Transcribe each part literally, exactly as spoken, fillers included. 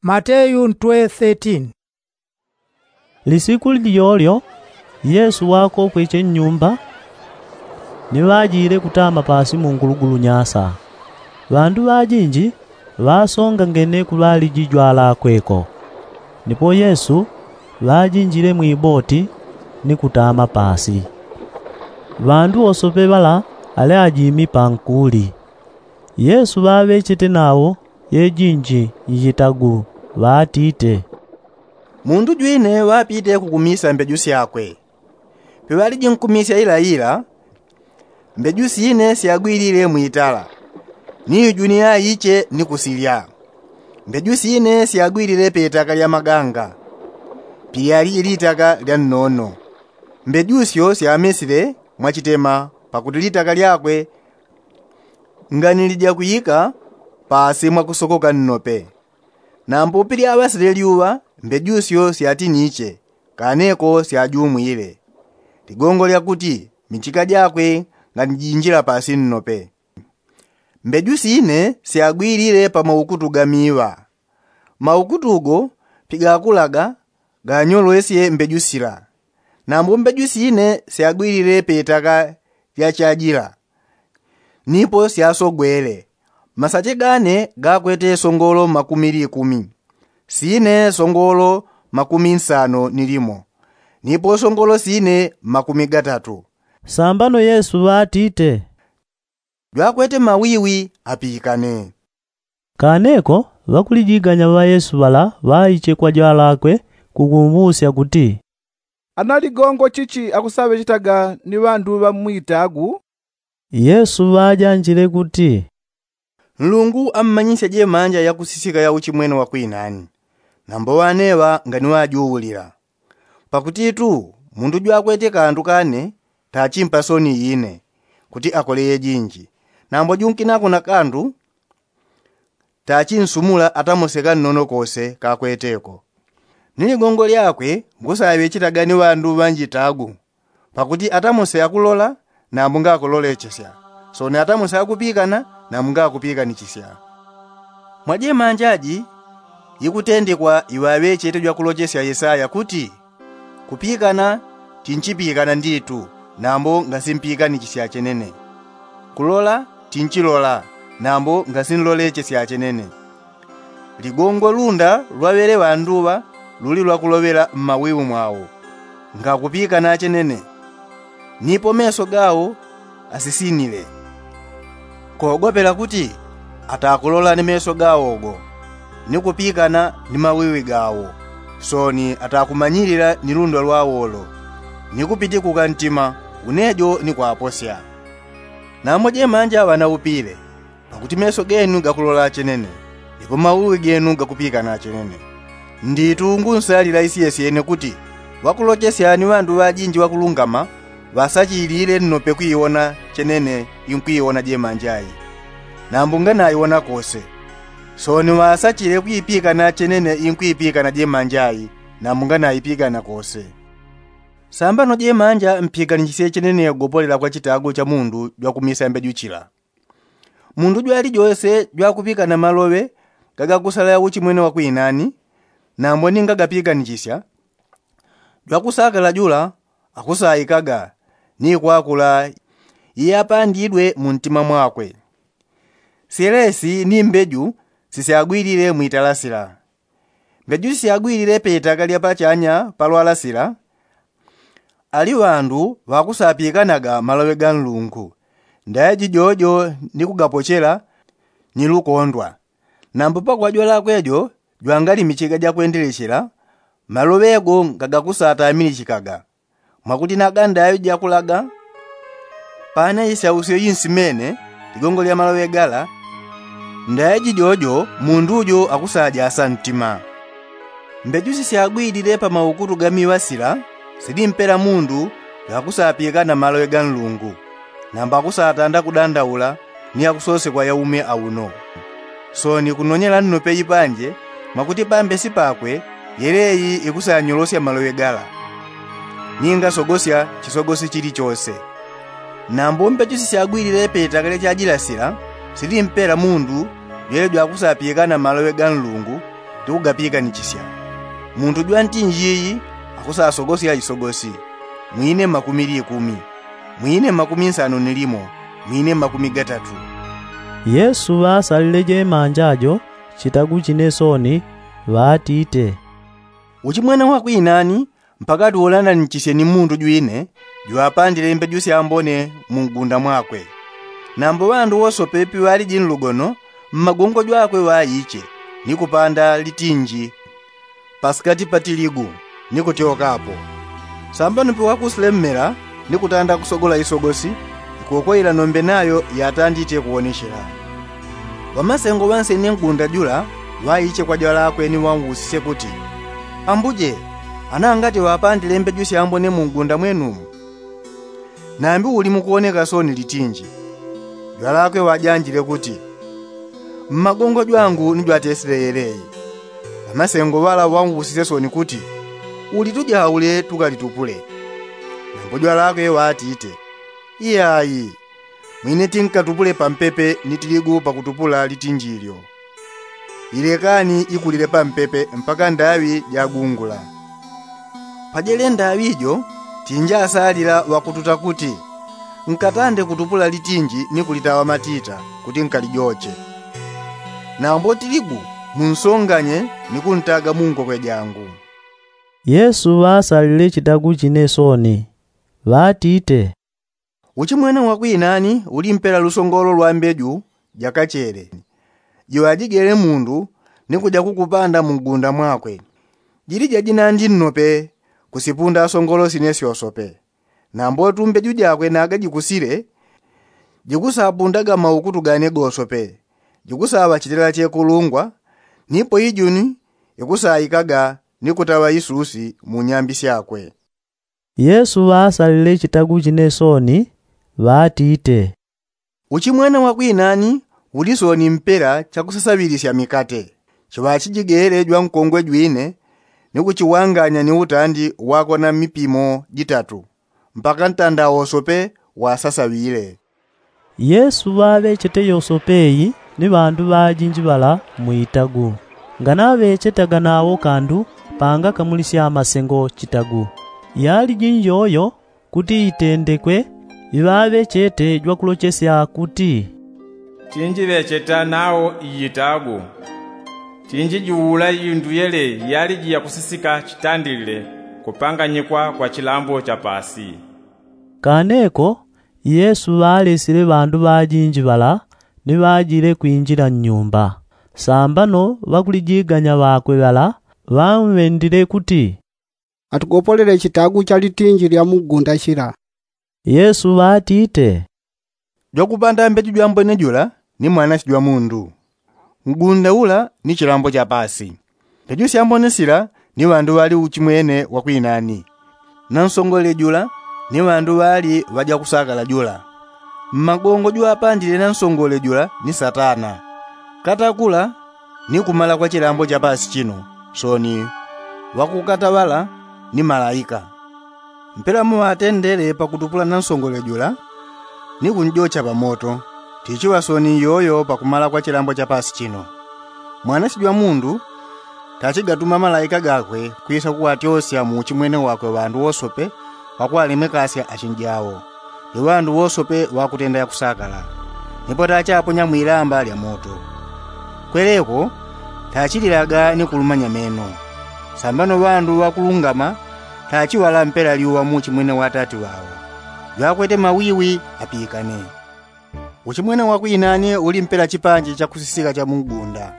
Mateyu ntwe thirteen. Lisiku lilyolyo yesu wakokweche nnyumba, ni ŵajile kutama pasi mungulugulu nyasa. Ŵandu ŵajinji ŵasongangene kuŵaliji jwalakwe ko. Nipo yesu ŵajinjile mwiboti ni kutama pasi. Ŵandu wosope ŵala ale ajimi pankuli. Yesu ŵaŵechete nawo yejinji njitagu, ŵatite, mundu jwine ŵapite kukumisa mbeju syakwe. Piŵaliji nkumisya ilaila, mbeju sine syagwilile mwitala, ni ijuni yaiche ni kusilya. Mbeju sine syagwilile petaka lya maganga, pilyaliji litaka lya nnono. Mbeju syo syamesile mwachitema, pakuti litaka lyakwe nganilijagwika pasi mwakusokoka nnope. Nambo pilyaŵasile lyuŵa, mbeju syo syatiniche, kaneko syajumwile, ligongo lyakuti michika jakwe nganijinjila pasi nnope. Mbeju sine syagwilile pa maukutu ga miŵa. Maukutu go pigakulaga, ganyolwesye mbeju sila. Nambo mbeju sine syagwilile petaka lya chajila, nipo syasogwele. Masache gane gakwete songolo makumi likumi, sine songolo makumi nsano ni limo, nipo songolo sine makumi gatatu. Sambano yesu ŵatite, jwakwete mawiwi apikane. Kaneko ŵakulijiganya ŵa yesu ŵala ŵaiche kwa jwalakwe, kukumbusya kuti, ana ligongo chichi akusaŵechetaga ni ŵandu ŵa mwitagu? Yesu ŵajanjile kuti, nlungu ammanyisya jemanja yakusisika ya uchimwene wa kwinani, nambo ŵaneŵa nganiŵajuwulila. Pakutitu mundu jwakwete kandu kane tachimpa soni ine, kuti akole yejinji. Nambo junkinako na kandu tachinsumula atamose kannono kose kakweteko. Ni ligongo lyakwe ngusaŵechetaga ni ŵandu ŵa njitagu, pakuti atamose akulola, nambo ngakulolechesya. Soni atamose akupikana, nambo ngakupikanachisya. Mwa jemanja ji ikutendekwa iŵaŵechete jwakulochesya yesaya kuti, kupikana tinchipikana nditu, nambo ngasimpikanachisya chenene. Kulola tinchilola, nambo ngasinlolechesya chenene. Ligongo lunda lwaŵele ŵanduŵa luli lwakuloŵela mmawiwi mwawo, ngakupikana chenene. Nipo meso gawo asisinile, kogopela kuti atakulola ni meso gawo go, ni kupikana ni mawiwi gawo, soni atakumanyilila ni lunda lwawolo, ni kupitikuka ntima, unejo ni kwaposya. Nambo jemanja ŵanaupile, pakuti meso genu gakulola chenene, nipo mawiwi genu gakupikana chenene. Nditu ngunsalila isyesyene kuti ŵakulochesya ni ŵandu ŵajinji ŵakulungama ŵasachilile nnope kwiwona chenene inkwiwona jemanja i, nambo nganaiwona kose. Soni ŵasachile kwipikana chenene inkwipikana jemanja i, nambo nganaipikana kose. Sambano jemanja mpikanichisye chenene gopolela kwa chitagu cha mundu jwakumisa mbeju chila. Mundu jwalijose jwakupikana maloŵe gagakusala ya uchimwene wa kwinani, nambo ni ngagapikanachisya, jwakusakala jula akusaikaga, ni kwakula iyapandidwe muntima mwakwe. Syelesi ni mbeju sisyagwilile mwitala sila. Mbeju sisyagwilile petaka lya pachanya pa lwala sila, ali ŵandu ŵakusapikanaga maloŵe ga nlungu, ndaiji jojo ni kugapochela ni lukondwa. Nambo pakwajwalakwe jo jwangali michiga jakwendelechela, maloŵe go ngagakusatamilichikaga, mwakuti naga ndaŵi jakulaga. Pane isausyo insimene ligongo lya maloŵe gala, ndaiji jojo mundu jo akusajasa ntima. Mbeju sisyagwilile pa maukutu ga miŵa sila, sili mpela mundu jwakusapikana maloŵe ga nlungu, nambo akusatanda kudandaula ni akusosekwa yaume auno. Soni kunonyela nnope ipanje, mwakuti pambesi pakwe yeleyi ikusanyolosya maloŵe gala, ningasogosya chisogosi chilichose. Nambo mbeju sisyagwilile petaka lya chajila sila, sili mpela mundu jwele jwakusapikana maloŵe ga nlungu, Tikugapiikanichisya. Muntu jwantinji iyi akusasogosya isogosi, mwine makumi likumi, mwine makumi nsanu ni limo, mwine makumi gatatu. Yesu ŵasalile jemanja jo chitagu chine soni, ŵatite, uchimwene wakwinani mpaka tuulananichisye ni muntu jwine jwapandile mbeju syambone mu ngunda mwakwe. Nambo ŵandu wosope piŵaliji nlugono, mmagongo jwakwe ŵaiche ni kupanda litinji pasikati pa tiligu, ni kutyokapo. Sambano piwakusile mmela ni kutanda kusogola isogosi, ikoko ila nombe nayo yatandite kuwonechela. Ŵamasengo ŵansene ngunda jula ŵaiche kwa jwalakwe ni ŵausisye kuti, ambuje, ana ngati ŵapandile mbeju syambone mu ngunda mwenumu? Nambi uli mukuwoneka soni litinji? Jwalakwe ŵajanjile kuti, mmagongo jwangu ni jwatesile yeleyi. Ŵamasengo ŵala ŵausisye soni kuti, ulitujaule tukalitupule. Nambo jwalakwe ŵatite, iyayi, mwine tinkatupule pampepe ni tiligu pakutupula litinji lyo. Ilekani ikulile pampepe mpaka ndaŵi jagungula. Pajele ndaŵi jo, tinjasalila ŵakututa kuti, nkatande kutupula litinji ni kulitaŵa matita kuti nkalijoche. Nambo tiligu munsonganye ni kuntaga mu ngokwe jangu. Yesu ŵasalile chitagu chine soni, ŵatite, uchimwene wakwinani uli mpela lusongolo lwa mbeju jakachele, jiŵajigele mundu ni kuja kukupanda mu ngunda mwakwe. Jilija jinandi nnope kusipunda asongolo sine syosope. Nambo tumbeju jakwe naga jikusile, jikusapundaga maukutu gane gosope, jikusaŵachitila chekulungwa, nipo ijuni ikusaikaga ni kutaŵa isusi mu nyambi syakwe. Yesu ŵasalile chitagu chine soni, ŵatite, uchimwene wakwinani uli soni mpela chakusasaŵilisya mikate, chiŵachijigele jwankongwe jwine ni kuchiwanganya ni utandi wakona mipimo jitatu, mpaka ntanda wosope wasasaŵile. Yesu ŵaŵechete yosope iyi ni ŵandu ŵajinji ŵala mu itagu. Nganaŵechetaga nawo kandu pangakamulisya masengo chitagu. Yaliji njoyo kuti itendekwe iŵaŵechete jwakulochesya kuti, tinjiŵecheta nawo iyitagu, tinjijuula iyunduyele yaliji yakusisika chitandilile kupanganyikwa kwa chilambo cha paasi. Kaneko Yesu ŵalesile ŵandu ŵajinji ŵala ni ŵajile kwinjila nnyumba. Sambano ŵakulijiganya ŵakwe ŵala ŵamwendile kuti, atugopolele chitagu cha litinji lya mu ngunda chila. Yesu ŵatite, jwakupanda mbeju jwambone jula ni Mwanache jwa mundu. Ngunda ula ni chilambo cha paasi. Mbeju syambone sila ni ŵandu ŵali uchimwene wakwinani, na nsongole jula ni ŵandu ŵali ŵajakusakala jula. Mmagongo jwapandile na nsongole jula ni Satana. Katakula ni kumala kwa chilambo cha paasi chino, soni ŵakukata ŵala ni malaika. Mpela muŵatendele pakutupula na nsongole jula ni kunjocha pamoto, tichiŵa soni iyoyo pakumala kwa chilambo cha paasi chino. Mwanache jwa mundu tachigatuma malaika gakwe kwisa kuŵatyosya mu uchimwene wakwe ŵandu wosope ŵakuŵalemekasya achinjawo. Iŵandu wosope ŵakutenda yakusakala, nipo tachaponya mwilamba lya moto. Kweleko tachililaga ni kulumanya meno. Sambano ŵandu ŵakulungama tachiŵala mpela lyuŵa mu uchimwene wa Atati ŵao. Jwakwete mawiwi apikane. Uchimwene wakwinani uli mpela chipanji chakusisika cha mu ngunda.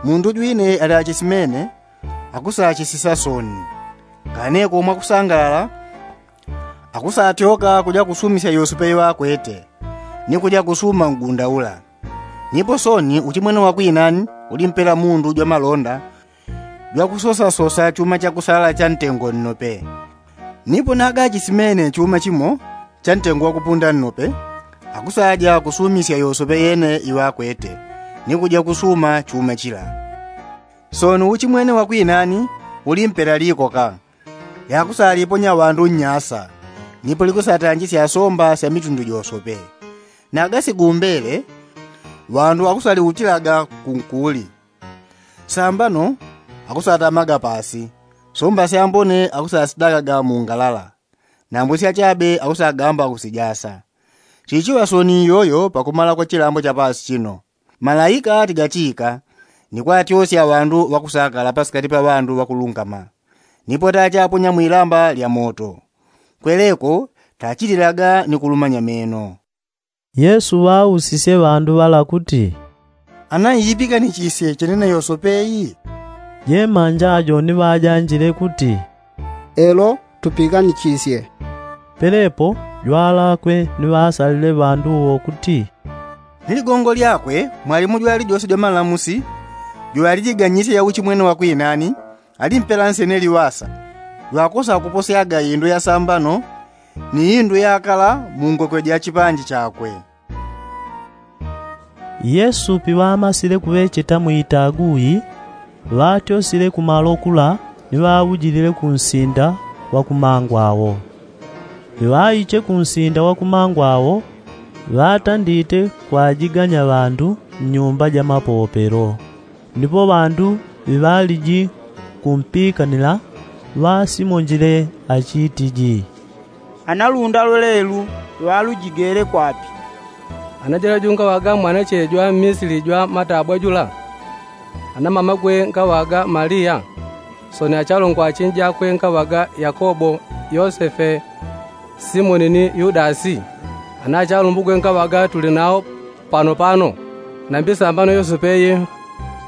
Mundu jwine ali achisimene akusachisisa soni. Kaneko mwakusangalala akusatyoka kuja kusumisya yosope iŵakwete ni kuja kusuma ngunda ula. Nipo soni uchimwene wakwinani uli mpela mundu jwa malonda jwakusosasosa chuma chakusala cha ntengo nnope. Nipo naga achisimene chuma chimo cha ntengo wakupunda nnope, akusaja kusumisya yosope yene iŵakwete ni kuja kusuma chuma chila. Soni uchimwene wakwinani uli mpela likoka yakusaliponya ŵandu nnyasa, nipo likusatanjisya somba sya mitundu josope. Naga sigumbele ŵandu ŵakusaliutilaga kunkuli. Sambano akusatamaga pasi, somba syambone akusasidagaga mu ngalala, nambo syachabe akusagamba kusijasa. Chichiŵa soni iyoyo pakumala kwa chilambo cha pasi chino, malaika tigachika ni kwatyosya ŵandu ŵakusakala pasikati pa ŵandu ŵakulungama, nipo tachaponya mwilamba lya moto. Kweleko tachililaga ni kulumanya meno. Yesu ŵausisye ŵandu ŵala kuti, ana iipikanichisye chenene yosope iyi? Jemanja ajo ni ŵajanjile kuti, elo, tupikanichisye. Pelepo jwalakwe ni ŵasalile ŵandu wo kuti, ni ligongo lyakwe mwalimu jwalijose jwa malamusi, jwalijiganyisye yauchi mwene wa kwinani, alimpela nsene liŵasa, jwakosa kuposyaga indu ya sambano ni indu yakala mu ngokwe ja chipanji chakwe. Yesu piŵamasile kuŵecheta mwitagu yi, ŵatyosile kumalo kula ni ŵaujilile kunsinda wa kumangwa wo. Piŵaiche kunsinda wa kumangwa wo, ŵatandite kwajiganya ŵandu nnyumba ja mapopelo. Ndipo ŵandu ŵiŵaliji kumpikanila ŵasimonjile achitiji, analunda lwelelu ŵalujigele kwapi? Ana jwalajungaŵaga mwanache jwa mmisili jwa matabwa jula, ana mamakwe ngaŵaga malia, soni achalongwa achinjakwe ngaŵaga yakobo, yosefe, simoni ni yudasi, ana achalumbukwe ngaŵaga tuli nao panopano. Nambi sambano yosefe yi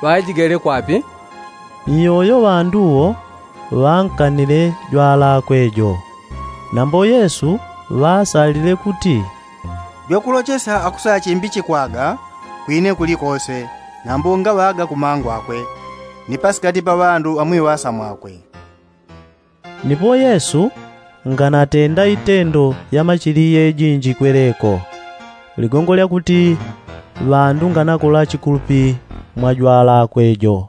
ŵaijigele kwapi? Iyoyo ŵandu wo ŵankanile jwalakwe jo. Nambo yesu ŵasalile kuti, jwakulochesa akusachimbichikwaga kwine kulikose, nambo ngaŵaga kumangwakwe ni pasikati pa ŵandu ŵamwiŵasa mwakwe. Ndipo yesu nganatenda itendo ya machiliye jinji kweleko, ligongo lyakuti ŵandu nganakola chikulupi mwa jwalakwe jo.